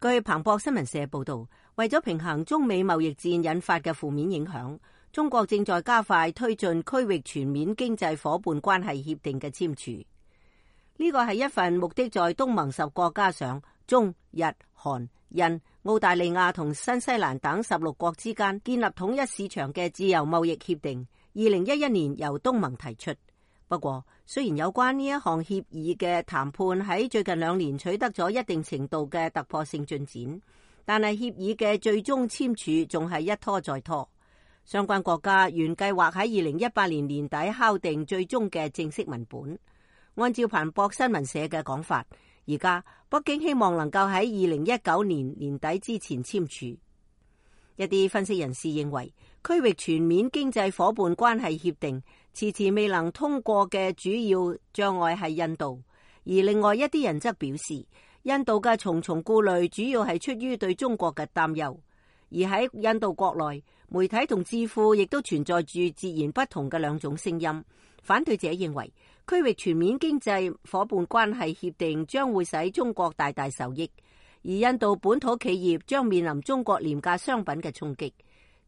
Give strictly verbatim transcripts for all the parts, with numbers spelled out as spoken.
據彭博新聞社報道，為咗平衡中美貿易戰引發嘅負面影響，中國正在加快推進區域全面經濟夥伴關係協定嘅簽署。呢個係一份目的在東盟十國加上中日韓印、澳大利亞同新西蘭等十六國之間建立統一市場嘅自由貿易協定，二零一一年由東盟提出。不過，雖然有關呢一項協議嘅談判喺最近兩年取得咗一定程度嘅突破性進展，但係協議嘅最終簽署仲係一拖再拖。相關國家原計劃喺二零一八年年底敲定最終嘅正式文本。按照彭博新聞社嘅講法，而家北京希望能夠喺二零一九年年底之前簽署。一啲分析人士認為，區域全面經濟夥伴關係協定遲遲未能通過嘅主要障礙係印度，而另外一啲人則表示，印度嘅重重顧慮主要係出於對中國嘅擔憂。而喺印度國內，媒體同智庫亦都存在住截然不同嘅兩種聲音。反對者認為，區域全面經濟夥伴關係協定將會使中國大大受益，而印度本土企業將面臨中國廉價商品嘅衝擊。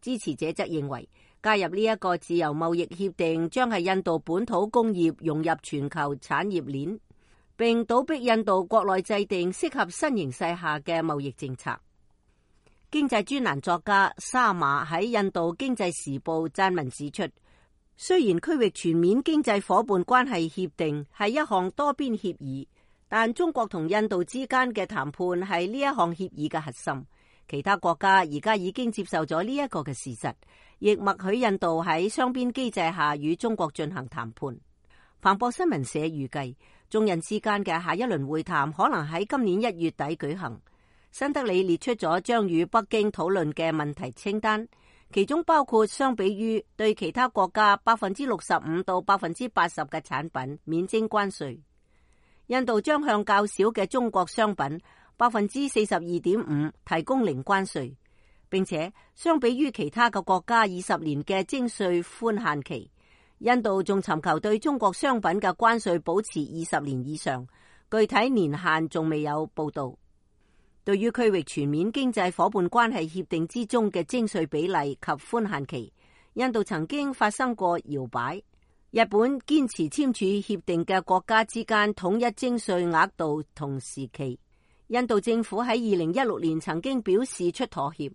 支持者則認為，加入呢一個自由貿易協定將係印度本土工業融入全球產業鏈，並倒逼印度國內制定適合新形勢下嘅貿易政策。經濟專欄作家沙馬喺印度經濟時報撰文指出，雖然區域全面經濟夥伴關係協定係一項多邊協議，但中國同印度之間嘅談判係呢一項協議嘅核心。其他國家而家已經接受咗呢一個嘅事實，亦默許印度喺雙邊機制下與中國進行談判。彭博新聞社預計，中印之間嘅下一輪會談可能喺今年一月底舉行。新德里列出咗將與北京討論嘅問題清單，其中包括相比於對其他國家百分之六十五到百分之八十嘅產品免徵關稅，印度將向較少嘅中國商品百分之四十二點五提供零關稅，並且相比於其他嘅國家二十年嘅徵稅寬限期，印度仲尋求對中國商品嘅關稅保持二十年以上，具體年限仲未有報道。對於區域全面經濟夥伴關係協定之中嘅徵稅比例及寬限期，印度曾經發生過搖擺。日本堅持簽署協定嘅國家之間統一徵稅額度同時期。印度政府喺二零一六年曾經表示出妥協，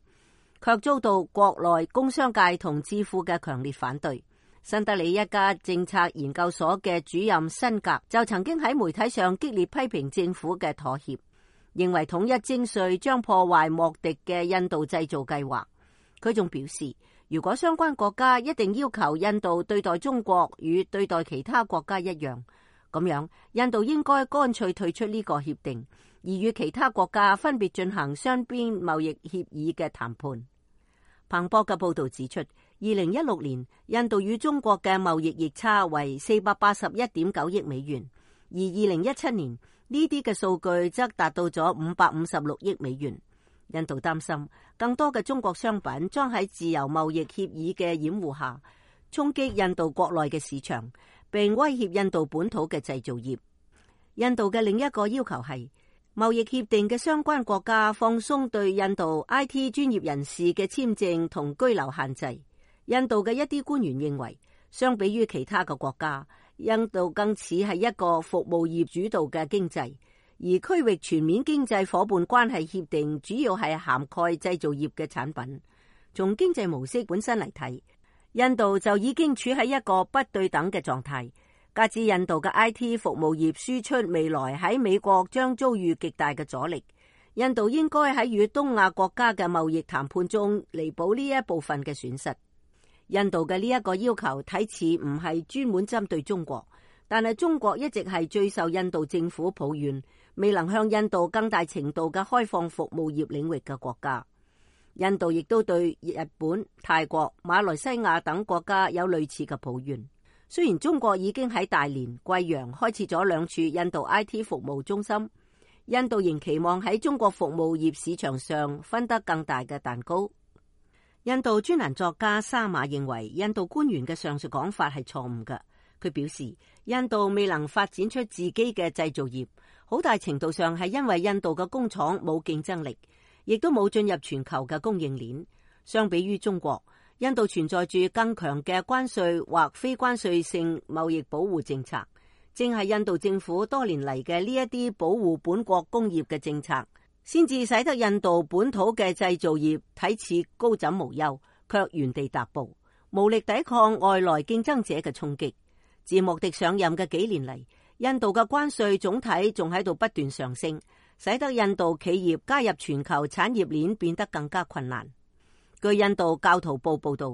卻遭到國內工商界同智庫嘅強烈反對。新德里一家政策研究所嘅主任辛格就曾經喺媒體上激烈批評政府嘅妥協，認為統一徵稅將破壞莫迪嘅印度製造計劃。佢仲表示，如果相關國家一定要求印度對待中國與對待其他國家一樣，咁樣印度應該乾脆退出呢個協定，而與其他國家分別進行雙邊貿易協議嘅談判。彭博嘅報導指出，二零一六年印度與中國嘅貿易逆差為四百八十一點九億美元，而二零一七年呢啲嘅數據則達到咗五百五十六億美元。印度擔心更多嘅中國商品將喺自由貿易協議嘅掩護下衝擊印度國內嘅市場，並威脅印度本土嘅製造業。印度嘅另一個要求係貿易協定嘅相關國家放鬆對印度 I T 專業人士嘅簽證同居留限制。印度嘅一啲官員認為，相比於其他嘅國家，印度更似係一個服務業主導嘅經濟，而區域全面經濟夥伴關係協定主要係涵蓋製造業嘅產品。從經濟模式本身嚟睇，印度就已經處喺一個不對等嘅狀態。加之印度嘅 I T 服務業輸出未來喺美國將遭遇極大嘅阻力，印度應該喺與東亞國家嘅貿易談判中彌補呢一部分嘅損失。印度嘅呢一個要求睇似唔係專門針對中國，但係中國一直係最受印度政府抱怨未能向印度更大程度嘅開放服務業領域嘅國家。印度亦都對日本、泰國、馬來西亞等國家有類似嘅抱怨。雖然中國已經喺大連、貴陽開設咗兩處印度 I T 服務中心，印度仍期望喺中國服務業市場上分得更大嘅蛋糕。印度專欄作家沙馬認為，印度官員嘅上述講法係錯誤嘅。佢表示，印度未能發展出自己嘅製造業，好大程度上係因為印度嘅工廠冇競爭力，亦都冇進入全球嘅供應鏈。相比於中國，印度存在住更強嘅關稅或非關稅性貿易保護政策，正係印度政府多年嚟嘅呢一啲保護本國工業嘅政策，先至使得印度本土嘅製造業睇似高枕無憂，卻原地踏步，無力抵抗外來競爭者嘅衝擊。自莫迪上任嘅幾年嚟，印度嘅關稅總體仲喺度不斷上升，使得印度企業加入全球產業鏈變得更加困難。據印度教徒報報道，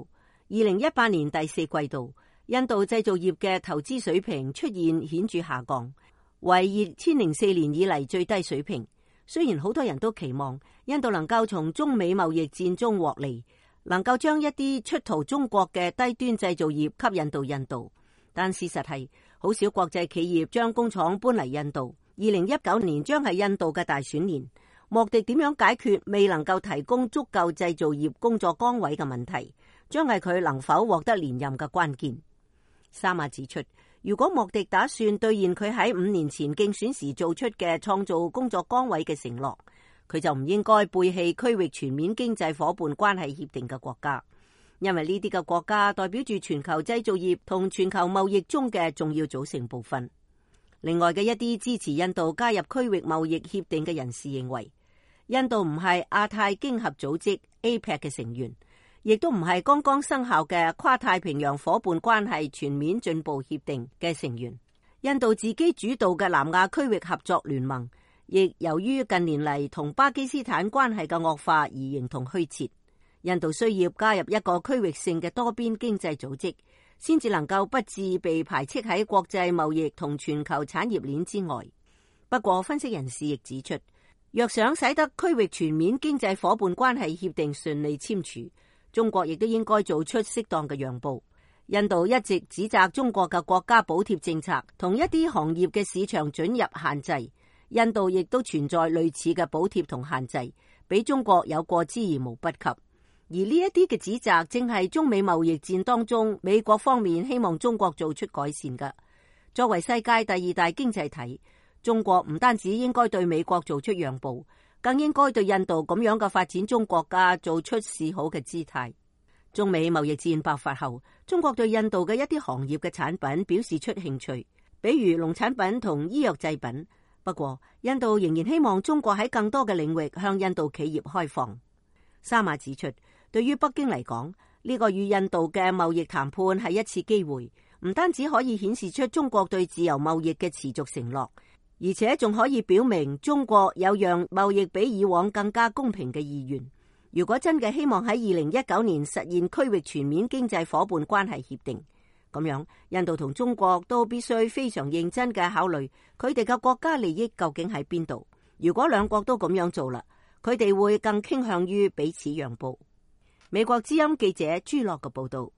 二零一八年第四季度，印度製造業嘅投資水平出現顯著下降，為二千零四年以嚟最低水平。雖然好多人都期望印度能夠從中美貿易戰中獲利，能夠將一啲出逃中國嘅低端製造業吸引到印度，但事實係好少國際企業將工廠搬嚟印度。二零一九年將係印度嘅大選年，莫迪點樣解決未能夠提供足夠製造業工作崗位嘅問題，將係佢能否獲得連任嘅關鍵。沙馬指出，如果莫迪打算兌現佢喺五年前競選時做出嘅創造工作崗位嘅承諾，佢就唔應該背棄區域全面經濟夥伴關係協定嘅國家，因為呢啲嘅國家代表住全球製造業同全球貿易中嘅重要組成部分。另外嘅一啲支持印度加入區域貿易協定嘅人士認為，印度唔係亞太經合組織 A P E C 嘅成員，亦都唔係剛剛生效嘅跨太平洋夥伴關係全面進步協定嘅成員。印度自己主導嘅南亞區域合作聯盟，亦由於近年嚟同巴基斯坦關係嘅惡化而形同虛設。印度需要加入一個區域性嘅多邊經濟組織，先至能夠不致被排斥喺國際貿易同全球產業鏈之外。不過，分析人士亦指出，若想使得區域全面經濟夥伴關係協定順利簽署，中國亦都應該做出適當嘅讓步。印度一直指責中國嘅國家補貼政策同一啲行業嘅市場准入限制，印度亦都存在類似嘅補貼同限制，比中國有過之而無不及。而呢一啲嘅指責正係中美貿易戰當中美國方面希望中國做出改善嘅。作為世界第二大經濟體，中國唔單止應該對美國做出讓步，更應該對印度咁樣嘅發展中國家做出示好嘅姿態。中美貿易戰爆發後，中國對印度嘅一啲行業嘅產品表示出興趣，比如農產品同醫藥製品。不過，印度仍然希望中國喺更多嘅領域向印度企業開放。沙馬指出，對於北京嚟講，呢個與印度嘅貿易談判係一次機會，唔單止可以顯示出中國對自由貿易嘅持續承諾，而且仲可以表明中國有讓貿易比以往更加公平嘅意願。如果真嘅希望喺二零一九年實現區域全面經濟夥伴關係協定，咁樣印度同中國都必須非常認真嘅考慮佢哋嘅國家利益究竟喺邊度。如果兩國都咁樣做啦，佢哋會更傾向於彼此讓步。美國之音記者朱樂嘅報道。